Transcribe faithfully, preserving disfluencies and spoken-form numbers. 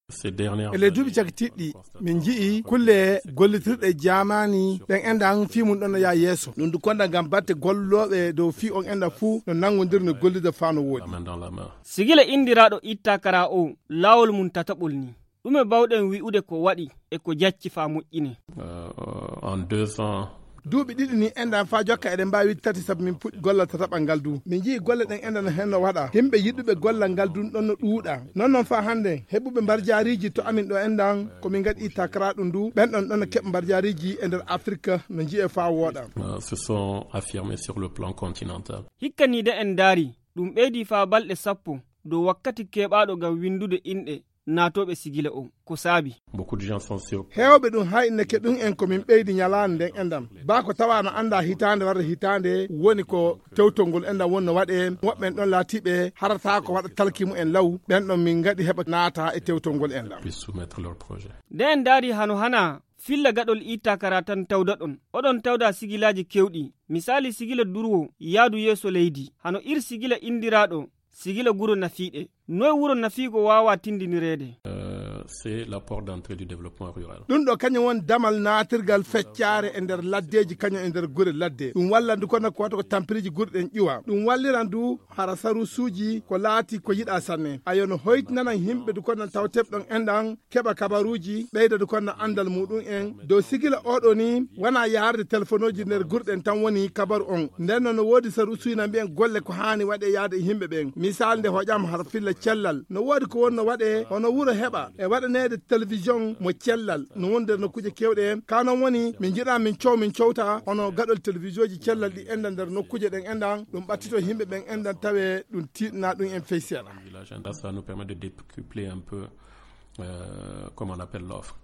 E ley duuɓi cakitiiɗi ɗi, min nji'i kulle gollitirɗe jaamaani ɗen enɗan fii mun ɗon no yaha yeeso. Ɗum du konda ngam batte gollooɓe dow fii on enɗan fuu no nanngondirno gollirde faa no wooɗi. Sigila inndiraaɗo Ittakara o, laawol mum tataɓol ni. Ɗume baawɗen wi'ude ko waɗi e ko jacci faa moƴƴinee? Duuɓi ɗiɗi ni enɗan faa jokka eɗen mbaawi tati sabu min puɗɗi gollal tataɓal ngal du. Min nji'i golle ɗen enɗan no henno waɗa. Himɓe yiɗuɓe gollal ngal du ɗon no ɗuuɗa. Non non faa hannde heɓuɓe mbarjaariiji to amin ɗo enɗan ko min ngaɗi takara ɗum du. Ɓen ɗon ɗon no keɓa mbarjaariiji e nder Afirka no nji'ee faa wooɗa. Se sont affirmés sur le plan continental. Hikka ni de en ndaari, ɗum ɓeydi faa balɗe sappo dow wakkati keɓaaɗo ngam winndude inɗe naatooɓe sigila on. Ko saabi? Heewɓe ɗum haynake ɗum en ko min ɓeydi ñalaande nden enɗan. Baa ko tawaa no anndaa hitaande warde hitaande woni ko tewtol ngol enɗan wonno waɗee. Woɓɓe en ɗon laatiiɓe harataa ko waɗa talki mumen law. Ɓen ɗon min ngaɗi heɓa naata e tewtol ngol enɗan. Nde en ndaari hano hanaa filla gaɗol Ittakara tan tawdaɗon. Oɗon tawda sigilaaji kewɗi. Misaali sigila durwo yaadu yeeso leydi. Hano ir sigila inndiraaɗo sigila guro nafiiɗe. Noy wuro nafiigo waawaa tindinireede? C'est la porte d'entrée du développement rural. Ɗum ɗo kañum woni damal naatirgal feccaare e nder laddeeji kañum e nder gure ladde. Ɗum wallan du kono ko waɗa ko tampiriiji gure ɗen ƴuwa. Ɗum walliran du hara sarusuuji ko laati ko yiɗaa sanne. Ayo no hoytinanan yimɓe du kono tawteɓe ɗon enɗan keɓa kabaruuji, ɓeyda du kono anndal muɗum en. Dow sigila oɗo ni, wanaa yaarde telefonooji nder gure ɗen tan woni kabaru on. Nden non no woodi sarusuuji na mbi'en golle ko haani waɗee yaade e yimɓe ɓen. Misaal nde hoƴaama hara filla cellal. No woodi ko wonno waɗee, hono wuro heɓa e waɗaneede television mo cellal. No woni nder nokkuuje kewɗe. Ka non woni, min njiɗaa min cow, min cowta, hono gaɗol televisioji cellal ɗi enɗan nder nokkuuje ɗen enɗan, ɗum ɓattito yimɓe ɓen enɗan tawe ɗum tiiɗna ɗum en fey seeɗa. Village, and that, ça nous permet de décupler un peu, euh, comment on appelle l'offre.